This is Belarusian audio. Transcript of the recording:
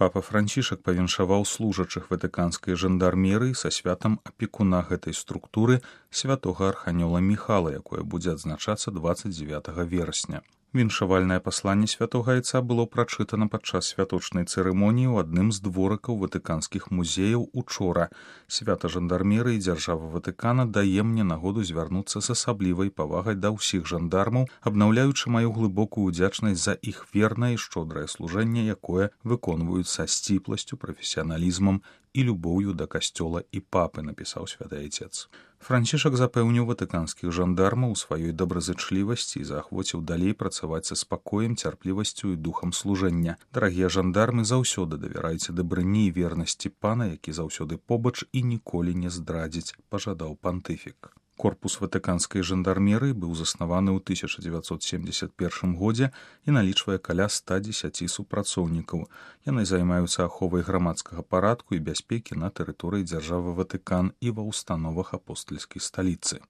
Папа Францішак павіншаваў служачых ватыканскай жандармерыі са святам апекуна гэтай структуры святога арханёла Міхала, якое будзе адзначацца 29 верасня. Віншавальнае пасланне святога айца было прачытана падчас святочнай цырымоніі ў адным з дворыкаў ватыканскіх музеяў учора. Свята жандармерыі дзяржава Ватыкана дае мне нагоду звярнуцца з асаблівай павагай да ўсіх жандармаў, абнаўляючы маю глыбокую ўдзячнасць за іх вернае і шчодрае служэнне, якое выконваюць са сціпласцю, прафесіяналізмам і любоўю да касцёла і папы, напісаў святы айцец. Францішак запэўніў ватыканскіх жандармаў у сваёй добразычлівасці і заахвоціў далей працаваць са спакоем, цярплівасцю і духам служэння. Дарагія жандармы, заўсёды давярайце дабрыні і вернасці пана, які заўсёды побач і ніколі не здрадзіць, пажадаў пантыфік. Корпус ватыканскай жандармерыі быў заснаваны ў 1971 годзе і налічвае каля 110 супрацоўнікаў. Яны займаюцца аховай грамадскага парадку і бяспекі на тэрыторыі дзяржавы Ватыкан і ва ўстановах апостальскай сталіцы.